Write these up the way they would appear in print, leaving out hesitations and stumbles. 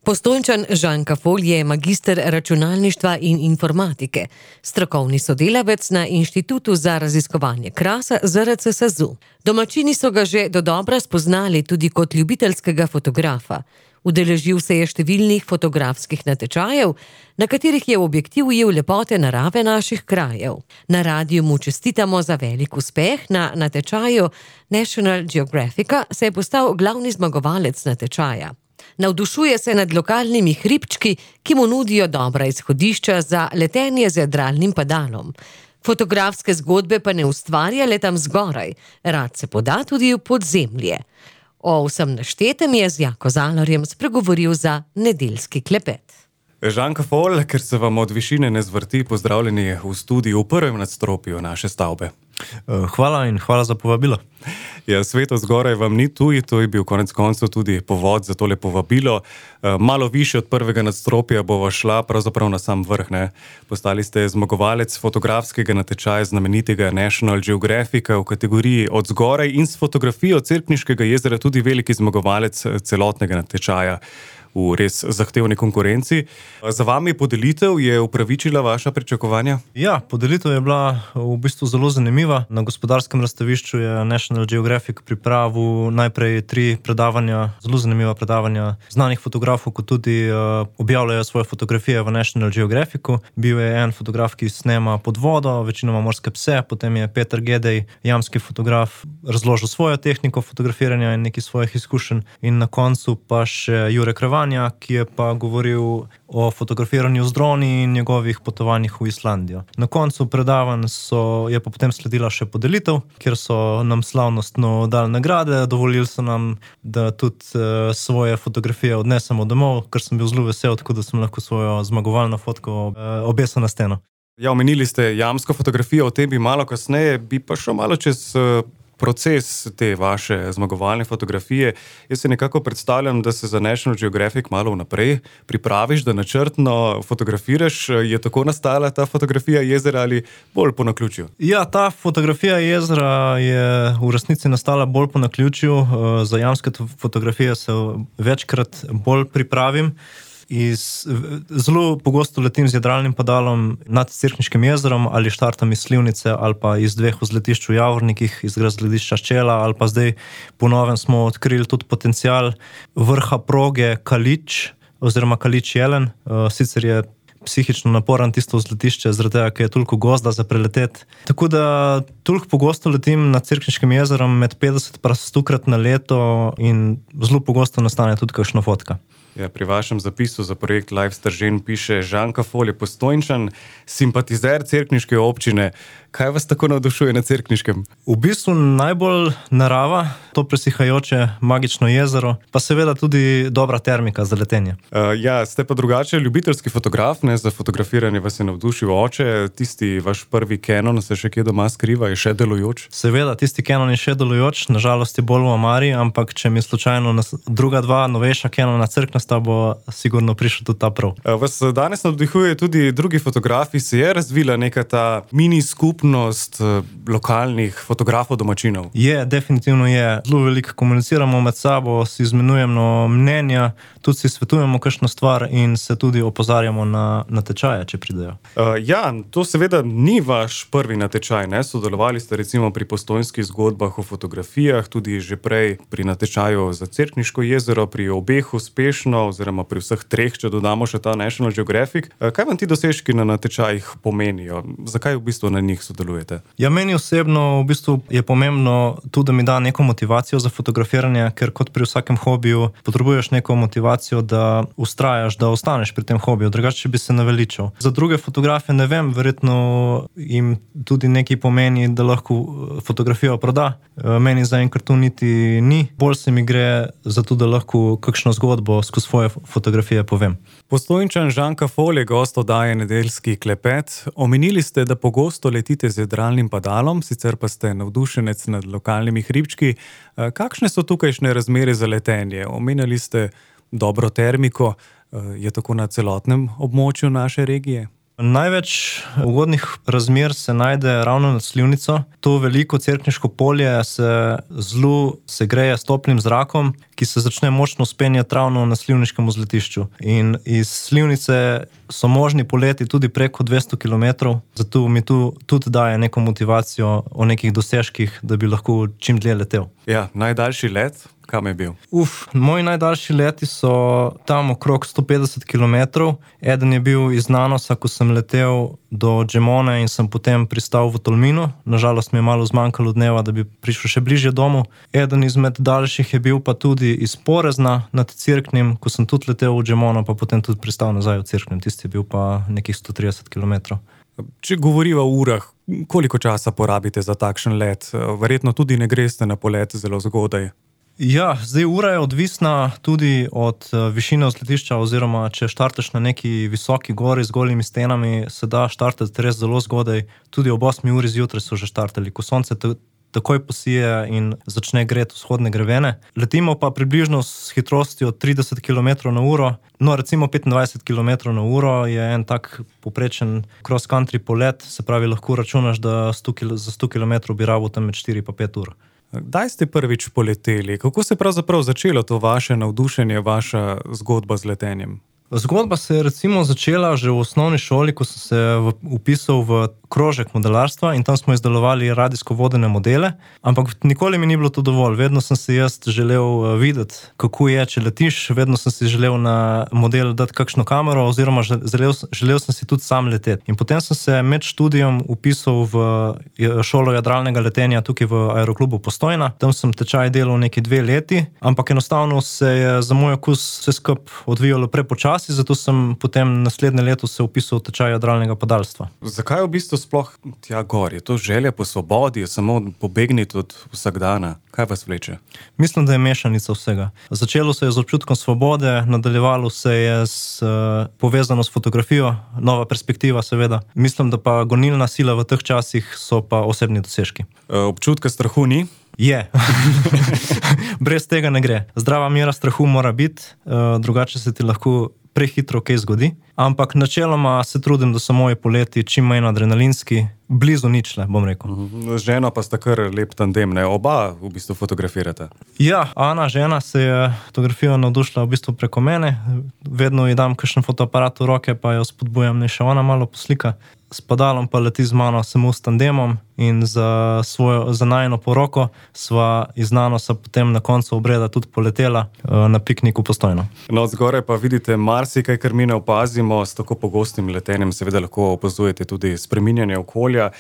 Postojnčan Žan Kafol je magister računalništva in informatike, strokovni sodelavec na Inštitutu za raziskovanje krasa ZRC SAZU. Domačini so ga že dodobra spoznali tudi kot ljubiteljskega fotografa. Udeležil se je številnih fotografskih natečajev, na katerih je v objektiv ujel lepote narave naših krajev. Na radiju mu čestitamo za velik uspeh. Na natečaju National Geographica se je postal glavni zmagovalec natečaja. Navdušuje se nad lokalnimi hribčki, ki mu nudijo dobra izhodišča za letenje z jadralnim padalom. Fotografske zgodbe pa ne ustvarja le tam zgoraj, rad se poda tudi v podzemlje. O vsem naštetem je z Jako Zalarjem spregovoril za nedeljski klepet. Žan Kafol, ker se vam od višine ne zvrti, pozdravljeni v studiu v prvem nadstropju naše stavbe. Hvala in hvala za povabilo. Ja, svet od zgoraj vam ni tuj, to je bil konec koncev tudi povod za tole povabilo. Malo više od prvega nadstropja bova šla pravzaprav na sam vrh, ne? Postali ste zmagovalec fotografskega natečaja znamenitega National Geographica v kategoriji od zgoraj in s fotografijo Cerkniškega jezera tudi veliki zmagovalec celotnega natečaja v res zahtevni konkurenci. Za vami podelitev je upravičila vaša pričakovanja? Ja, podelitev je bila v bistvu zelo zanimiva. Na gospodarskem razstavišču je National Geographic pripravil najprej 3 predavanja, zelo zanimiva predavanja znanih fotografov, kot tudi objavljajo svoje fotografije v National Geographicu. Bil je en fotograf, ki snema pod vodo, večinoma morske pse, potem je Peter Gedej, jamski fotograf, razložil svojo tehniko fotografiranja in nekaj svojih izkušenj. In na koncu pa še Jure Krevan, ki je pa govoril o fotografiranju z droni in njegovih potovanjih v Islandijo. Na koncu predavanj je pa potem sledila še podelitev, kjer so nam slavnostno dali nagrade, dovolili so nam, da tudi svoje fotografije odnesemo domov, ker sem bil zelo vesel, tako da sem lahko svojo zmagovalno fotko obesil na steno. Ja, omenili ste jamsko fotografijo, o tem bi malo kasneje, bi pa šel malo čez proces te vaše zmagovalne fotografije. Jaz si nekako predstavljam, da se za National Geographic malo vnaprej pripraviš, da načrtno fotografiraš. Je tako nastala ta fotografija jezera ali bolj po naključju? Ja, ta fotografija jezera je v resnici nastala bolj po naključju. Za jamske fotografije se večkrat bolj pripravim. Zelo pogosto letim z jadralnim padalom nad Cerkniškim jezerom ali štartam iz Slivnice ali pa iz 2 vzletišč v Javornikih, iz razgledišča Ščela, ali pa zdaj po novem smo odkrili tudi potencial vrha proge Kalič oziroma Kalič Jelen. Sicer je psihično naporan tisto vzletišče, zaradi tega, ker je toliko gozda za preleteti. Tako da toliko pogosto letim nad Cerkniškim jezerom med 50 pa 100-krat na leto in zelo pogosto nastane tudi kakšna fotka. Ja, pri vašem zapisu za projekt Live Stržen piše: Žan Kafol je Postojnčan, simpatizer cerkniške občine. Kaj vas tako navdušuje na Cerkniškem? V bistvu najbolj narava, to presihajoče magično jezero, pa seveda tudi dobra termika za letenje. Ja, ste pa drugače ljubiteljski fotograf, ne? Za fotografiranje vas je navdušil oče. Tisti vaš prvi Canon se še kje doma skriva, je še delujoč? Seveda, tisti Canon je še delujoč, nažalost je bolj v omari, ampak če mi slučajno druga 2 novejša Canona crknasta, bo sigurno prišel tudi ta prav. Vas danes navdihuje tudi drugi fotografi, se je razvila neka ta mini skupnost lokalnih fotografov domačinov? Je, definitivno je. Zelo veliko komuniciramo med sabo, si izmenjujemo mnenja, tudi si svetujemo kakšno stvar in se tudi opozarjamo na natečaje, če pridejo. Ja, to seveda ni vaš prvi natečaj, ne? Sodelovali ste recimo pri Postojnskih zgodbah o fotografijah, tudi že prej pri natečaju za Cerkniško jezero, pri obeh uspešno, oziroma pri vseh 3, če dodamo še ta National Geographic. Kaj vam ti dosežki na natečajih pomenijo? Zakaj v bistvu na njih sodelujete? Ja, meni osebno v bistvu je pomembno tudi, da mi da neko motivacijo za fotografiranje, ker kot pri vsakem hobiju potrebuješ neko motivacijo, da ustrajaš, da ostaneš pri tem hobiju, drugače bi se naveličal. Za druge fotografe ne vem, verjetno jim tudi nekaj pomeni, da lahko fotografijo proda. Meni zaenkrat to niti ni. Bolj se mi gre za to, da lahko kakšno zgodbo skozi svoje fotografije povem. Postojnčan Žan Kafol je gost oddaje Nedeljski klepet. Omenili ste, da pogosto letite z jadralnim padalom, sicer pa ste navdušenec nad lokalnimi hribčki. Kakšne so tukajšnje razmere za letenje? Omenjali ste dobro termiko. Je tako na celotnem območju naše regije? Največ ugodnih razmer se najde ravno nad slivnico. To veliko Cerkniško polje se zelo segreje s toplim zrakom, ki se začne močno vzpenjati ravno na slivniškem vzletišču. In iz slivnice so možni poleti tudi preko 200 km, zato mi tu tudi daje neko motivacijo o nekih dosežkih, da bi lahko čim dlje letel. Ja, najdaljši let, kam je bil? Moji najdaljši leti so tam okrog 150 km. Eden je bil iz Nanosa, ko sem letel do Džemone in sem potem pristal v Tolminu. Nažalost mi je malo zmanjkalo dneva, da bi prišel še bližje domu. Eden izmed daljših je bil pa tudi iz Porezna nad Cerknim, ko sem tudi letel v Džemono, pa potem tudi pristal nazaj v Cerknem. Tisti je bil pa nekih 130 km. Če govoriva o urah, koliko časa porabite za takšen let? Verjetno tudi ne greste na polet zelo zgodaj. Ja, zdaj ura je odvisna tudi od višine vzletišča, oziroma če štartaš na neki visoki gori z golimi stenami, se da štartati res zelo zgodaj. Tudi ob 8 uri zjutraj so že štartali, ko sonce takoj posije in začne greti vzhodne grevene. Letimo pa približno s hitrostjo 30 km na uro, no recimo 25 km na uro je en tak poprečen cross-country polet, se pravi lahko računaš, da za 100 km bi rabil tam med 4 pa 5 ur. Kdaj ste prvič poleteli? Kako se je pravzaprav začelo to vaše navdušenje, vaša zgodba z letenjem? Zgodba se je recimo začela že v osnovni šoli, ko sem se vpisal v krožek modelarstva in tam smo izdelovali radijsko vodene modele, ampak nikoli mi ni bilo to dovolj. Vedno sem si jaz želel videti, kako je, če letiš, vedno sem si želel na model dati kakšno kamero, oziroma želel sem si tudi sam leteti. In potem sem se med študijom vpisal v šolo jadralnega letenja tukaj v Aeroklubu Postojna. Tam sem tečaj delal neki 2 leti, ampak enostavno se je za moj okus vse skupaj odvijalo prepočasi, zato sem potem naslednje leto se vpisal v tečaj jadralnega padalstva. Zakaj v bistvu sploh tja gor? Je to želja po svobodi, je samo pobegniti od vsakdana? Kaj vas vleče? Mislim, da je mešanica vsega. Začelo se je z občutkom svobode, nadaljevalo se je povezano s fotografijo, nova perspektiva seveda. Mislim, da pa gonilna sila v teh časih so pa osebni dosežki. Občutka strahu ni? Je. Brez tega ne gre. Zdrava mera strahu mora biti, drugače se ti lahko prehitro kaj zgodi, ampak načeloma se trudim, da so moji poleti čim manj adrenalinski, blizu ničle, bom rekel. Z ženo pa sta kar lep tandem, ne? Oba v bistvu fotografirate. Ja, Ana, žena, se je fotografijo navdušila v bistvu preko mene. Vedno ji dam kakšen fotoaparat v roke, pa jo spodbujam, ne še ona malo poslika. S padalom pa leti z mano samo s tandemom in za najino poroko sva iz Nanosa potem na koncu obreda tudi poletela na piknik v Postojno. No, zgoraj pa vidite marsikaj, kar mi ne opazimo, s tako pogostim letenjem seveda lahko opazujete tudi spreminjanje okolja.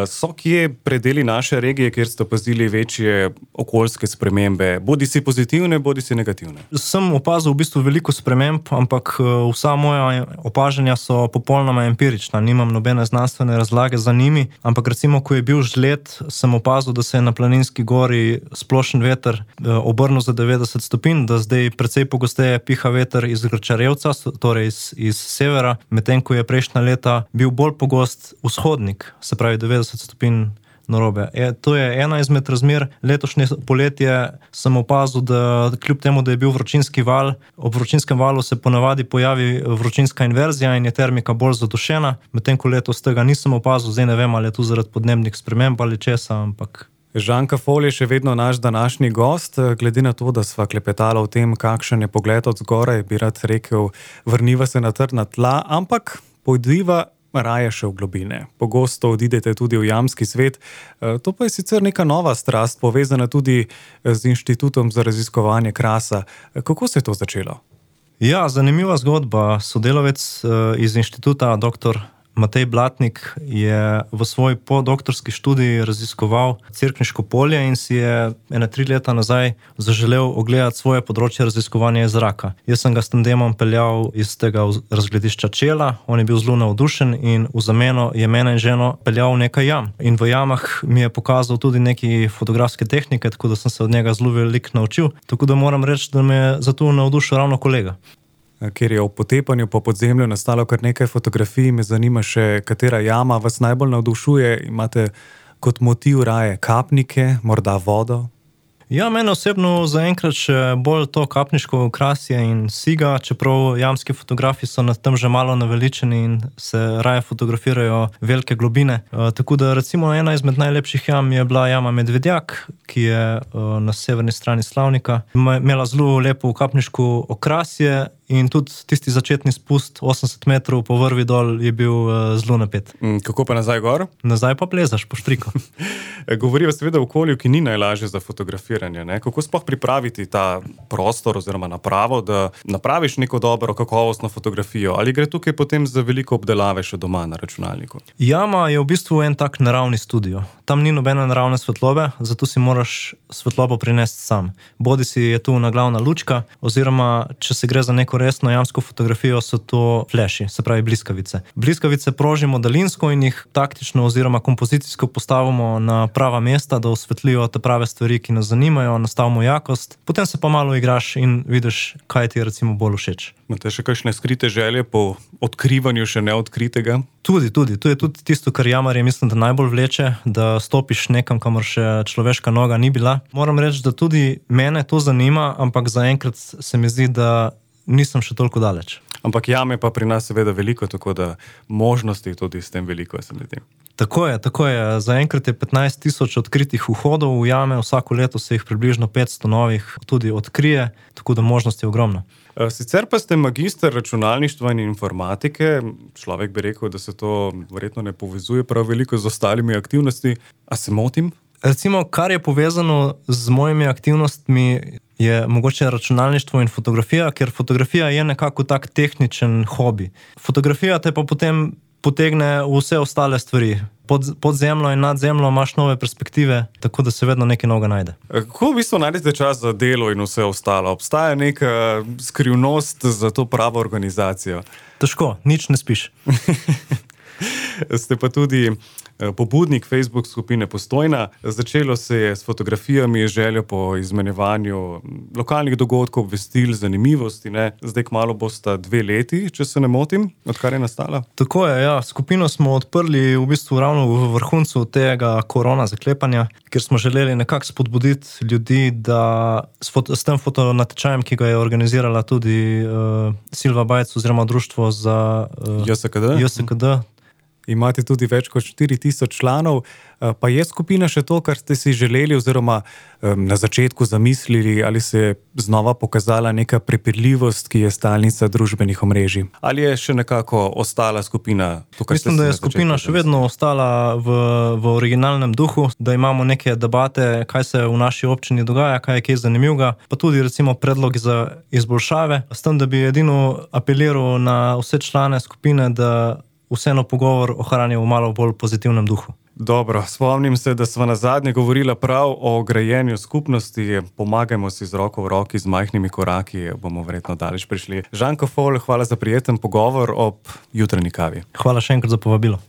So kje predeli naše regije, kjer ste opazili večje okoljske spremembe, bodi si pozitivne, bodi si negativne? Sem opazil v bistvu veliko sprememb, ampak vsa moja opažanja so popolnoma empirična, nimam nobene znanstvene razlage za njimi, ampak recimo, ko je bil žled, sem opazil, da se je na Planinski gori splošen veter obrnil za 90 stopinj, da zdaj precej pogosteje piha veter iz Grčarevca, torej iz severa, medtem ko je prejšnja leta bil bolj pogost vzhodnik, se pravi 90 stopinj narobe. To je ena izmed razmer. Letošnje poletje sem opazil, da kljub temu, da je bil vročinski val, ob vročinskem valu se ponavadi pojavi vročinska inverzija in je termika bolj zadušena, medtem ko letos tega nisem opazil, zdaj ne vem, ali je tu zaradi podnebnih sprememb ali česa, ampak... Žanka Fol je še vedno naš današnji gost. Glede na to, da sva klepetala o tem, kakšen je pogled od zgoraj, bi rad rekel, vrniva se na trdna tla, ampak pojdiva raje še v globine. Pogosto odidete tudi v jamski svet. To pa je sicer neka nova strast, povezana tudi z Inštitutom za raziskovanje krasa. Kako se je to začelo? Ja, zanimiva zgodba. Sodelavec iz inštituta, dr. Matej Blatnik, je v svoj podoktorski študiji raziskoval Cerkniško polje in si je 3 leta nazaj zaželel ogledati svoje področje raziskovanja zraka. Jaz sem ga s tandemom peljal iz tega razgledišča Čela, on je bil zelo navdušen in v zameno je mene in ženo peljal v nekaj jam. In v jamah mi je pokazal tudi neki fotografske tehnike, tako da sem se od njega zelo veliko naučil, tako da moram reči, da me je za to navdušil ravno kolega. Ker je v potepanju po podzemlju nastalo kar nekaj fotografij, me zanima še, katera jama vas najbolj navdušuje. Imate kot motiv raje kapnike, morda vodo? Ja, mene osebno zaenkrat še bolj to kapniško okrasje in siga, čeprav jamski fotografi so na tem že malo naveličeni in se raje fotografirajo velike globine. Tako da recimo ena izmed najlepših jam je bila jama Medvedjak, ki je na severni strani Slavnika. Imela zelo lepo kapniško okrasje in tudi tisti začetni spust 80 metrov po vrvi dol je bil zelo napet. Kako pa nazaj gor? Nazaj pa plezaš po štriku. Govorijo seveda o okolju, ki ni najlažje za fotografiranje. Ne? Kako sploh pripraviti ta prostor oziroma napravo, da napraviš neko dobro, kakovostno fotografijo? Ali gre tukaj potem za veliko obdelave še doma na računalniku? Jama je v bistvu en tak naravni studio. Tam ni nobene naravne svetlobe, zato si moraš svetlobo prinesti sam. Bodi si je tu naglavna lučka, oziroma če se gre za neko resno jamsko fotografijo, so to fleši, se pravi bliskavice. Bliskavice prožimo daljinsko in jih taktično oziroma kompozicijsko postavimo na prava mesta, da osvetlijo te prave stvari, ki nas zanimajo, nastavimo jakost, potem se pa malo igraš in vidiš, kaj ti je recimo bolj všeč. Imate še kakšne skrite želje po odkrivanju še neodkritega? Tudi. To je tudi tisto, kar jamarje mislim, da najbolj vleče, da stopiš nekam, kamor še človeška noga ni bila. Moram reči, da tudi mene to zanima, ampak zaenkrat se mi zdi, da nisem še toliko daleč. Ampak jame pa pri nas seveda veliko, tako da možnosti tudi s tem veliko, se mi zdi. Tako je. Zaenkrat je 15 000 odkritih vhodov v jame, vsako leto se jih približno 500 novih tudi odkrije, tako da možnost je ogromna. Sicer pa ste magister računalništva in informatike, človek bi rekel, da se to verjetno ne povezuje prav veliko z ostalimi aktivnosti. A se motim? Recimo, kar je povezano z mojimi aktivnostmi, je mogoče računalništvo in fotografija, ker fotografija je nekako tak tehničen hobi. Fotografija te pa potem potegne v vse ostale stvari. Pod zemljo in nad zemljo imaš nove perspektive, tako da se vedno nekaj novega najde. Kako v bistvu najdete čas za delo in vse ostalo? Obstaja neka skrivnost za to pravo organizacijo? Težko, nič ne spiš. Ste pa tudi pobudnik Facebook skupine Postojna. Začelo se je s fotografijami, željo po izmenjevanju lokalnih dogodkov, obvestil, zanimivosti. Ne? Zdaj kmalu bosta 2 leti, če se ne motim, odkar je nastala. Tako je, ja. Skupino smo odprli v bistvu ravno v vrhuncu tega korona zaklepanja, ker smo želeli nekako spodbuditi ljudi, da s tem fotonatečajem, ki ga je organizirala tudi Silva Bajec oziroma društvo za JSKD. Imate tudi več kot 4000 članov, pa je skupina še to, kar ste si želeli oziroma na začetku zamislili, ali se je znova pokazala neka prepirljivost, ki je stalnica družbenih omrežij? Ali je še nekako ostala skupina? Mislim, da je skupina še vedno ostala v originalnem duhu, da imamo neke debate, kaj se v naši občini dogaja, kaj je kaj zanimivega, pa tudi recimo predlogi za izboljšave. S tem, da bi edino apeliral na vse člane skupine, da vseeno pogovor ohranil v malo bolj pozitivnem duhu. Dobro, spomnim se, da sva nazadnje govorila prav o grajenju skupnosti. Pomagajmo si z roko v roki, z majhnimi koraki, bomo verjetno daleč prišli. Žan Kofol, hvala za prijeten pogovor ob jutranji kavi. Hvala še enkrat za povabilo.